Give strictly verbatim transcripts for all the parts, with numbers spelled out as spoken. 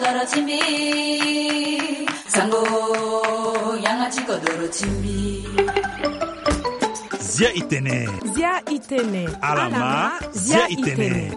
Kodoro ti mbi, sango, yanga ti kodoro ti mbi. Zia i tene. Zia i tene. Alama, zia i tene.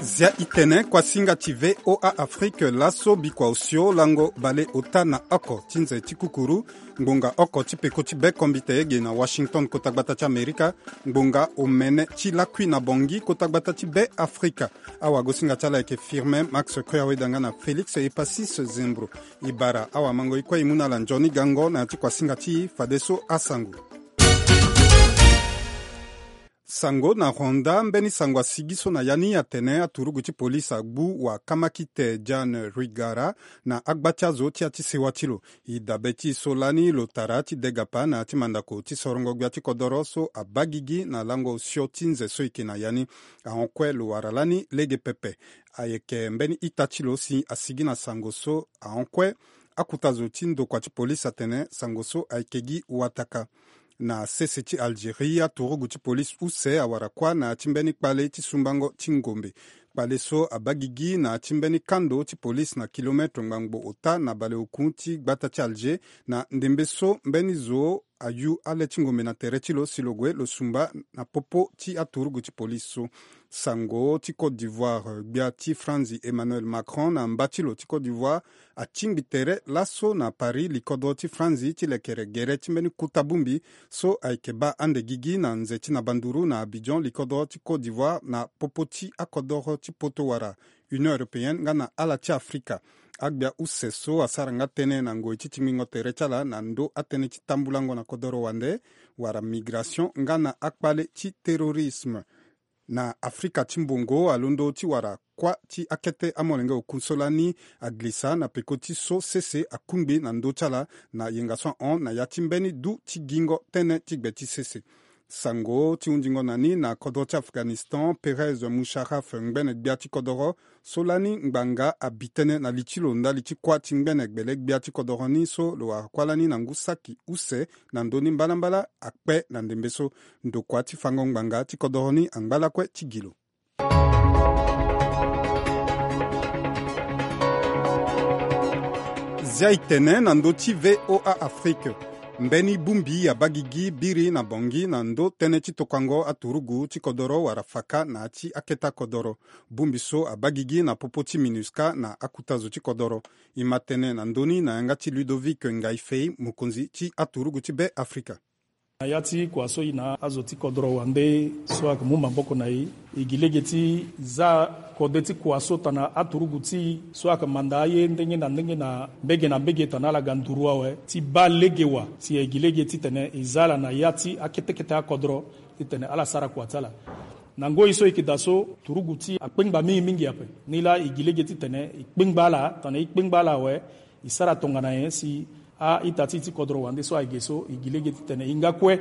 Zia i tene, kuasinga ti V O A Afrique, laso bikua osio lango bale ota na oko ti nze ti kukuru. Ngbonga oko ti peko ti be kombite ge na Washington, kota gbata ti Amerika. Ngbonga omene ti lakui na Bangui, kota gbata ti be Afrika. Awagosinga ti ala ayeke Firmin Max Koyaweda nga na Félix Epasis Zembro. E bara awamango e kue e mu na ala nzoni gango na ya ti kuasinga ti e fadeso asango. Sango na Rwanda, mbeni sango asigi so na ya ni atene aturugu ti polisi agbu wakamakite Diane Rwigara na agba ti azo ti ya ti sewa ti lo. E dabe ti e so lani lo tara ti degapa na ya ti mandako ti sorongo gbia ti kodoro so abaa gigi na lango osio ti nze so e yeke na ya ni. Ahon kue lo wara lani lege pepe. Ayeke mbeni ita ti lo si asigi na sango so ahon kue. Akuta zo ti ndokua ti polisi atene sango so ayeke gi wataka. Na sese ti Algérie, aturugu ti polisi use awara kuâ na ya ti mbeni kpale ti sumbango ti ngombe. Kpale so abaa gigi na ya ti mbeni kando ti polisi na kilometre ngbangbo ota na baleokun ti gbata ti Alger, na ndembe so mbeni zo ayu ale ti ngombe na tere ti lo si lo gue lo sumba na popo ti aturugu ti polisi so. Sango ti Côte d'Ivoire, gbia ti Franzi Emmanuel Macron na mba ti lo ti Côte d'Ivoire atingbi tere laso na Paris, likodro ti Franzi, ti lekere gere ti mbeni kuta bongbi so ayeke baa ande gigi na nze ti na banduru na Abidjan, likodro ti Côte d'Ivoire, na popo ti akodoro ti poto wala Union européenne nga na ala ti Afrika. Agbia use so asara nga tënë na ngoi ti tingbingo tere ti ala na ndö atënë ti tambulango na kodoro wande wala migration nga na akpale ti terrorisme. Na Afrika ti mbongo, alondo ti wara kuâ ti akete amolenge oku so lani agilisa na peko ti so sese akungbi na ndö ti ala na yenga so ahon na ya ti mbeni du ti gingo tënë ti gbe ti sese. Sango ti hundingo na ni na kodro ti Afghanistan, Perez Musharraf, ngbene gbia ti kodoro so lani ngbanga abi tënë na li ti lo ndali ti kuâ ti ngbene gbele gbia ti kodoro ni so lo wara kuâ lani na ngu saki use na ndö ni mbalambala akpe na ndembe so. Ndokua ti fango ngbanga ti kodoro ni angba lakue ti gi lo. Zia e tene na ndö ti V O A Afrique. Mbeni bongbi abaa gigi biri na Bangui na ndö tënë ti tokuango aturugu ti kodoro wala faka na ya ti akete akodoro. Bongbi so abaa gigi na popo ti MINUSCA na akuta zo ti kodoro. E ma tene na ndö ni na yanga ti Ludovic Ngaï Faye, mokonzi ti aturugu ti Be Afrika. Na ya ti kua so e na azo ti kodoro wande so ayeke mu maboko na e, e gi lege ti za kode ti kua so tongana aturugu ti e so ayeke manda aye ndenge na ndenge na mbege na mbege tongana ala ga nduru awe ti baa lege wa si e gi lege titene e za ala na ya ti akete kete akodoro titene ala sara kua ti ala. Na ngoi so e yeke daa so, turugu ti e akpengba mingi mingi ape. Nilaa e gi lege titene e kpengba ala, tongana e kpengba ala awe, e sara tongana nyen si a-ita ti e ti kodoro wande so ayeke so, e gi lege titene e nga kue,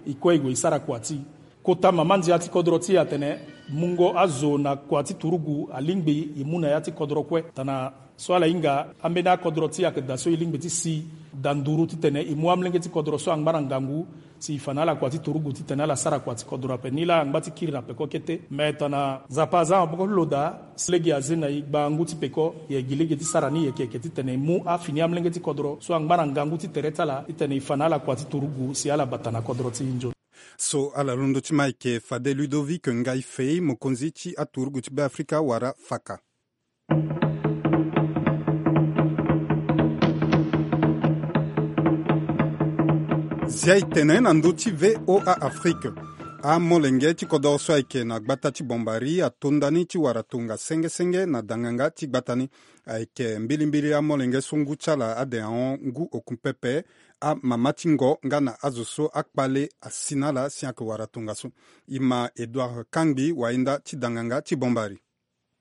e kue e gue e sara kua ti e. Kota mama ndia ti kodoro ti e atene mungo azo na kua ti turugu alingbi e mu na ya ti kodoro kue. Tongana so ala hinga, ambeni akodoro ti e ayeke daa so e lingbi ti si daa nduru titene e mu amolenge ti kodoro so angba na ngangu si e fa na ala kua ti turugu titene ala sara kua ti kodoro ape. Nilaa angba ti kiri na peko kete. Me tongana Nzapa aza na maboko ti lo daa, si lege aze na e gbangu ti peko, e gi lege ti sara ni yeke yeke titene e mu afini amolenge ti kodoro so angba na ngangu ti tere ti ala titene e fa na ala kua ti turugu si ala bata na kodoro ti e nzoni. So ala londo ti ma ayeke fade Ludovic Ngaï Faye, mokonzi ti aturugu ti Be Afrika wala faka. Zia e tene na ndö ti V O A Afrique. Amolenge ti kodoro so ayeke na gbata ti Bombari ato ndani ti wara tonga senge senge na danganga ti gbata ni. Ayeke mbilimbili amolenge so ngu ti ala ade ahon ngu oku pepe, amama ti ngo nga na azo so akpale asi na ala si ayeke wara tongaso. E ma Edouard Kangbi, wahinda ti danganga ti Bombari.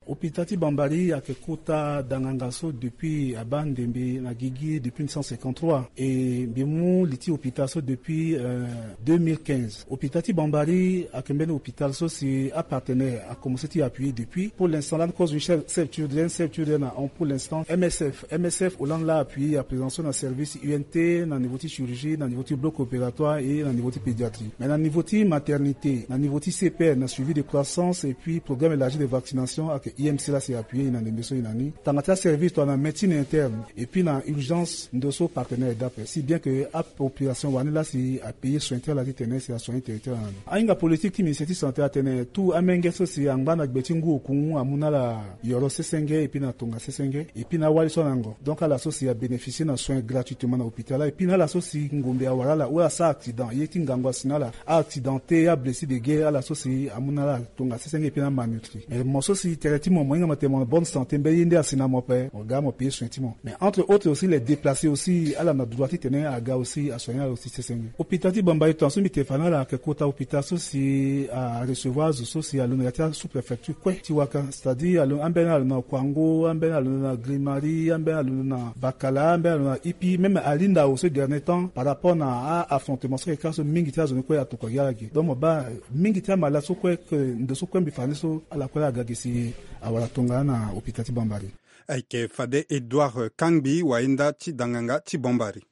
Hôpital ti Bambari ayeke kota danganga so depuis abaa ndembe na gigi depuis mille neuf cent cinquante-trois. E mbi mu li ti hôpital so depuis, euh, deux mille quinze. Hôpital ti Bambari ayeke mbeni hôpital so si apartenaire akomense ti appuyer depuis. Pour l'instant, lani kozo ni chef, chef Turden, chef Turden ahon pour l'instant M S F. M S F, Hollande laa appuyer à présent so na service U N T, na niveau ti chirurgie, na niveau ti bloc opératoire et na niveau ti pédiatrie. Mais na niveau ti maternité, na niveau ti C P N, na suivi de croissance et puis programme élargi de vaccination ayeke I M C la si appuyer e na ndembe so e na ni. Tanga ti aservice tongana médecine interne et puis na urgence ndo so partenaire e daa ape. Si bien que apopulation wani la si apayer soin ti ala titene si asoigner territoire na ni. Ahinga politique ti ministère ti santé atene tout amenge so si angba na gbe ti ngu okungu amu na ala yoro sesenge et puis na tonga sesenge et puis na awali so anango. Donc ala so si abénéficier na soin gratuitement na hôpital la et puis na ala so si ngombe awara ala ou asara accident ye ti ngangu asi na ala, a-accidenté, ablessé de guerre, ala so si amu na ala tonga sesenge et puis na malnutri. Mais mo so si tere ti mo mo hinga mo tene mo na bonne santé mbeni ye nde asi na mo ape, mo ga mo payer soin ti mo. Mais entre autres aussi les déplacés aussi ala na droit titene aga aussi asoigner ala aussi sesenge. Hôpital ti Bambari tongaso mbi tene fa na ala ayeke kota hôpital so si arecevoir azo so si alondo na ya ti asous-préfecture kue ti waka, c'est-à-dire alo- ambeni alondo na Kouango, ambeni alondo na Grimari, ambeni alondo na Bakala, ambeni alondo na Ipi, même alinda awo so dernier temps par rapport na a-affrontement so ayeke ka so mingi ti azo ni kue atokua gi ala ge. Donc mo baa mingi ti amalade so kue ke ndo so kue mbi fa ni so ala kue ala ga ge si awara tongana na hôpital ti Bambari. Ayeke fade Edouard Kangbi, wayenda ti danganga ti Bambari.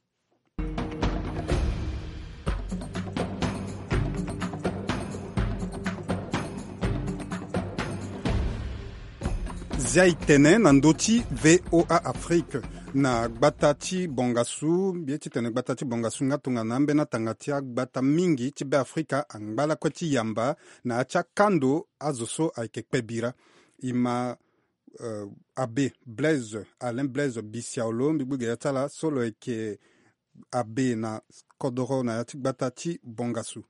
Zia e tene na ndö ti V O A Afrique na gbata ti Bangassou, mbi ye titene gbata ti Bangassou nga tongana ambeni atanga ti agbata mingi ti Beafrika angba lakue ti yamba na ya ti akando azo so ayeke kpe bira. E ma euh, Abbé Blaise, Alain Blaise Bissiaolo, mbi gbu ge ya ti ala so lo yeke abbé na kodoro na ya ti gbata ti Bangassou.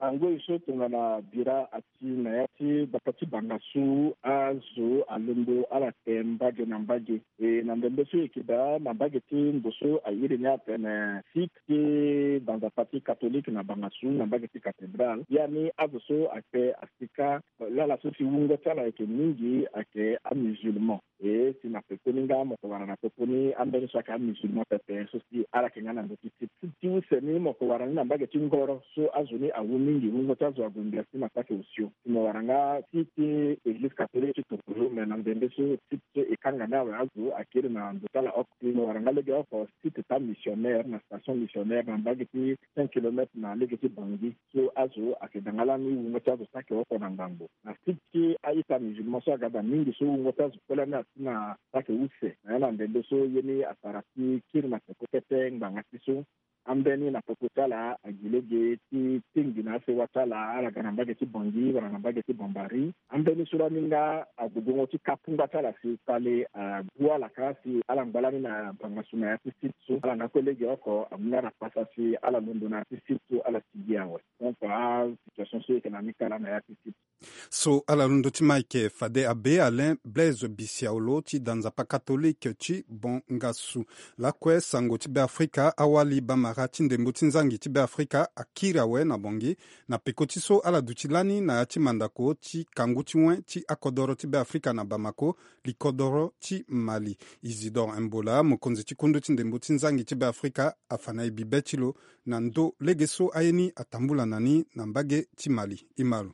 Angoi so tongana bira asi na ya ti gbata ti Bangassou, azo alondo ala te mbage na mbage. E na ndembe so e yeke daa na mbage ti ndo so a iri ni atene site ti danzapa ti catholique na Bangassou na mbage ti cathédrale. Ya ni azo so akpe asi kâ, lala so si wungo ti ala ayeke mingi ayeke amusulman. E si na pekoni nga mo yeke wara na popo ni ambeni so ayeke amusulman pepe so si ala yeke nga na ndö ti site ti use ni mo yeke wara ni na mbage ti ngoro so azo ni awu mingi, wungo ti azo ague ngbia si na saki osio. Si mo wara nga site ti église catholique ti Tokolo, me na ndembe so site so e kanga ni awe azo akiri na ndo ti ala oko. Si mo wara nga lege oko site ti amissionnaire na station missionnaire na mbage ti cinq kilomètres na lege ti Bangui. So azo ayeke da nga lani wungo ti azo saki oko na ngangu. Na site ti a-ita musulman so aga da mingi so wungo ti azo kue lani asi na saki use. Na ya na ndembe so ye ni asara ti kiri na peko kete ngbanga ti so. Ambeni na peko ti ala agi lege ti tingbi na asewa ti ala, ala ga na mbage ti Bangui wala na mbage ti Bambari. Ambeni so lani nga ague gongo ti kapungba ti ala si kpale agu ala kâ si ala ngba lani na Bangassou na ya ti site so. Ala nga kue lege oko amu nga na pasa si ala londo na ya ti site so ala sigi awe. Donc asituation so e yeke na ni kala na ya ti site. So ala londo ti ma ayeke fade abbé Alain Blaise Bissiaolo ti da nzapa katolike ti Bangassou. Lakue sango ti Beafrika, awali bamara ti ndembo ti nzangi ti Beafrika akiri awe na Bangui na peko ti so ala duti lani na ya ti mandako ti kangu ti wen ti akodoro ti Beafrika na Bamako, likodoro ti Mali. Isidore Mbola, mokonzi ti kundu ti ndembo ti nzangi ti Beafrika, afa na e bibe ti lo na ndo lege so aye ni atambula na ni na mbage ti Mali. E ma lo.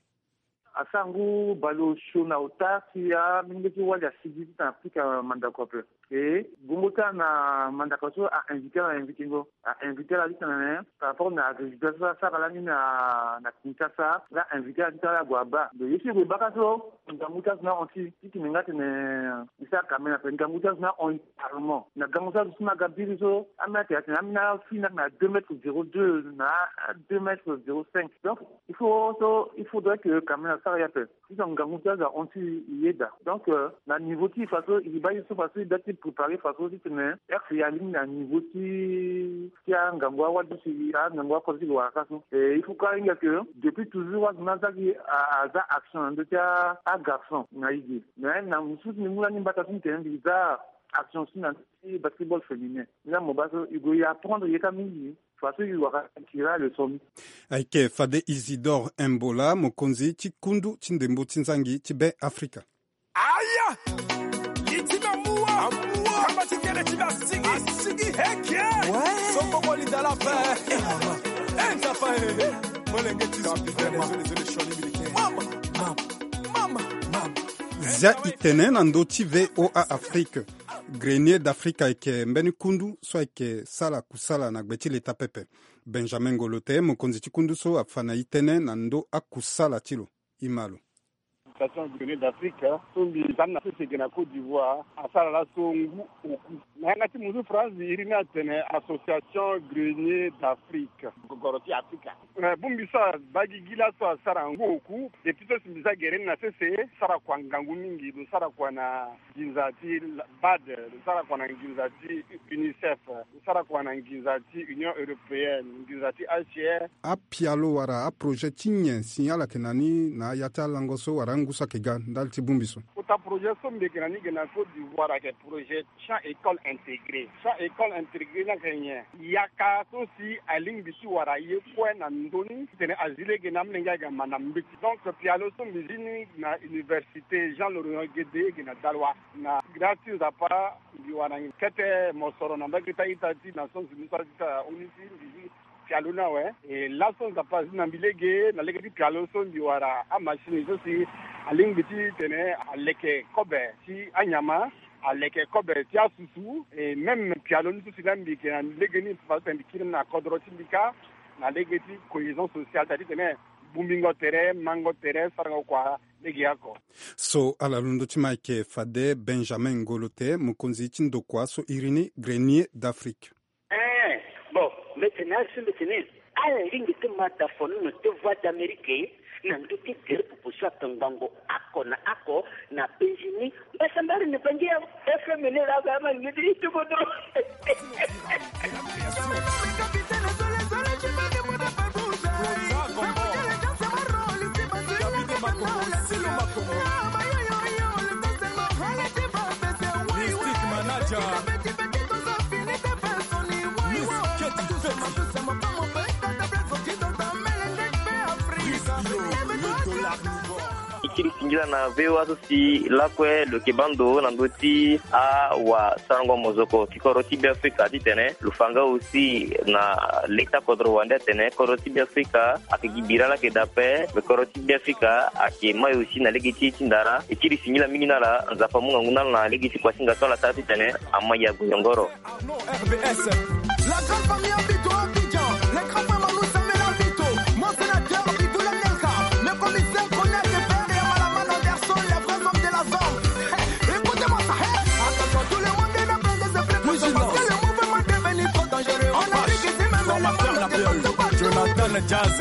Asangu baleosio na ota ti amolenge ti wali asigi ti tena pika mandako ape. E gongo ti ala na mandako so a invité ala, invité ngo, a invité ala ti tena na nyen par rapport na résultat so asara lani na na Kinshasa. Ala invité ala ti tena ala gue abaa. Donc ye so e gue baka so ngangu ti azo ni ahon ti ti tene nga tene e sara kamera ape, ngangu ti azo ni ahon. Carrément na gango so azo so na ga biri so, ambeni atene atene ambeni afini na deux mètres zéro deux na deux mètres zéro cinq. Donc il faut so il faudrait que quand même asara ye ape. Si donc ngangu ti azo ahon ti e yeda. Donc euh, na niveau ti e faso e baa ye so faso e da ti préparer faso ti tene heure si e alingbi na niveau ti ti angangu awali so si angangu akota ti lo wara ka so. Et il faut kâ hinga que depuis toujours azo ni aza ki aza action na ndö ti agarçon na e ge. Mais na mosusu mbi mu lani mbata so mbi tene mbi za action si na ndö ti basketball féminin. Nga mo baa so e gue e apprendre ye kâ mingi faso e wara tira leçon ni. Ayeke fade Isidore Mbola, mokonzi ti kundu ti ndembo ti nzangi ti Beafrika. Aya! Li ti na mua. Kamba ti kele ti na sigi. Asigi heke. Sokoko li dala pe. Eh, nzapa, eh. Molenge ti zo. Mama, mama, mama, mama. Zia e tene na ndö ti V O A Afrique. Grenier d'Afrique ayeke mbeni kundu so ayeke sala kusala na gbe ti leta pepe. Benjamin Ngolote, mokonzi ti kundu so, afa na e tënë na ndö akusala ti lo. E ma lo. Association Grenier d'Afrique, so mbi za ni na sese ge na Côte d'Ivoire, asara laso ngu oku. Na yanga ti muzu France, iri ni atene Association Grenier d'Afrique. Gogoro ti Afrika. Eh, bongbi so abaa gigi laso asara ngu oku. Depuis so si mbi za gere ni na sese, sara kua ngangu mingi, lo sara kua na nginza ti bad, lo sara kua na nginza ti UNICEF, lo sara kua na nginza ti Union Européenne, nginza ti H C R. Apialo wala aprojet ti nyen si ala yeke na ni na ya ti alango so wala angu so ayeke ga ndali ti bongbi so? Kota projet so mbi yeke na ni ge na Côte d'Ivoire ayeke projet champ école intégré. Champ école intégré ni ayeke nyen? Yaka so si alingbi ti wara ye kue na ndö ni titene azi lege na amolenge aga ma na mbeti. Donc pialo so mbi zi ni na université Jean Laurion Guédé ge na Daloa. Na grâce ti Nzapa, mbi wara nyen kete mosoro na mbage ti a-ita ti Nations Unies so a-ita ONUSI, mbi zi pialo ni awe. E laso Nzapa azi na mbi lege, na lege ti pialo so mbi wara amachine so si alingbi titene aleke kobe ti anyama, aleke kobe ti asusu, e même pialo ni so si laa mbi yeke na lege ni, fa titene mbi kiri ni na kodro ti mbi kâ, na lege ti cohésion sociale, c'est-à-dire titene bongbingo tere, mango tere, sarango kua lege oko. So ala londo ti ma ayeke fade Benjamin Ngolo Te, mokonzi ti ndokua so iri ni Grenier d'Afrique. Eh, bon, mbeti na asu mbeti ni. Ala lingbi ti ma da fono na te Voix d'Amérique na ndö ti gere popo so ayeke ngbongo oko na oko na penzi ni. Mbasambari ni bangi ya F M ni la ga ma ni ti ti kodro. E kiri singila na V O A so si lakue lo yeke baa ndo na ndö ti awasarango mozoko ti kodro ti Beafrika titene lo fa nga aussi na leta kodro wande atene kodro ti Beafrika ayeke gi bira laa ayeke daa ape, me kodro ti Beafrika ayeke mai aussi na lege ti ye ti ndara. E kiri singila mingi na ala, Nzapa amu ngangu na ala na lege ti kuasinga so ala sara titene amai ague nyongoro. Arnaud R B S. La grande famille Abito Abidjan, les grands frères Manou Samuel Abito, mon sénateur Bigoula Nelka, le commissaire Konya Kefere ya Malamana Anderson, les vrais hommes de la zone. Écoutez-moi ça, hein. Attention, tout le monde est en train de se préparer parce que le mouvement est devenu trop dangereux. On a dit que c'est même la mort de Jonathan Jazz.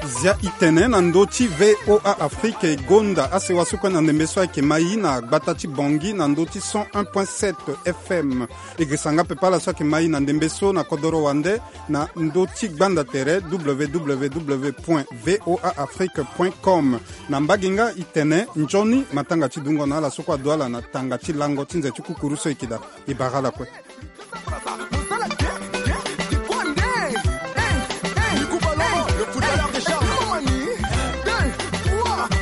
Zia itene na ndö ti V O A Afrique e gonda asewa so kue na ndembe so ayeke mai na gbata ti Bangui na ndö ti cent un point sept F M. E girisa nga pepe ala so ayeke mai na ndembe so na kodoro wande na ndö ti gbanda tere W W W point V O A Afrique point com. Na mbage nga itene nzoni matanga ti dungo na ala so kue ado ala na tanga ti lango ti nze ti kukuru so e yeke daa. E bara ala kue.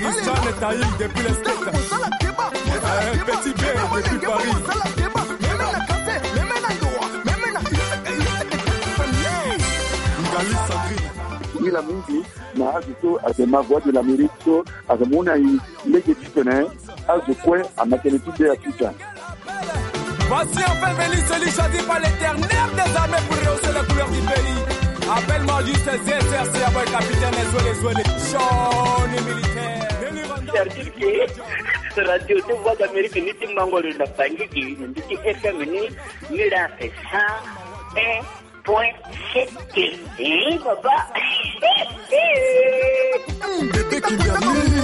Christiane Taïl depuis les States. Euh, Petit B depuis Paris. Ngali Sandrine. Nila mingi na azo so ayeke ma Voix de l'Amérique so ayeke mu na e lege titene azo kue amake tënë ti Beafrika. Voici enfin venu celui choisi par l'Éternel des armées pour rehausser les couleurs du pays. Appelle-moi juste Z S R C, capitaine Zouélé Zouélé, Johnny militaire. C'est-à-dire que radio ti Voix d'Amérique ni ti mango lo na Bangui, ni ti F M ni, ni la c'est cent un point sept. Eh, papa. Bébé Kimberly.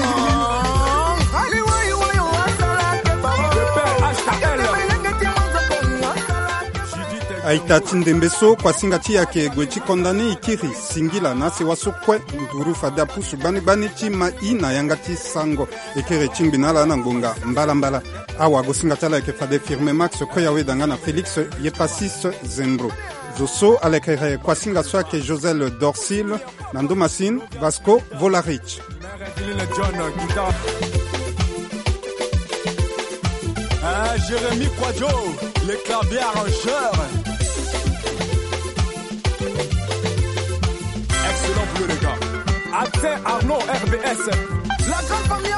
A-ita ti ndembe so, kuasinga ti e ayeke gue ti konda ni. E kiri singila na asewa so kue nduru fade apusu gbani gbani ti ma e na yanga ti sango. E kiri ti ngbi na ala na ngbonga mbalambala. Awagosinga ti ala ayeke fade Firme Max Koyaweda nga na Félix Yepasis Zembro. Zo so alekere kuasinga so ayeke Josel Dorsil, na ndo masini Vasco Volarich. Hein, Jérémy Kwadjo, le clavier arrangeur. Excellent pour le gars. Accès Arnaud R B S. La grande famille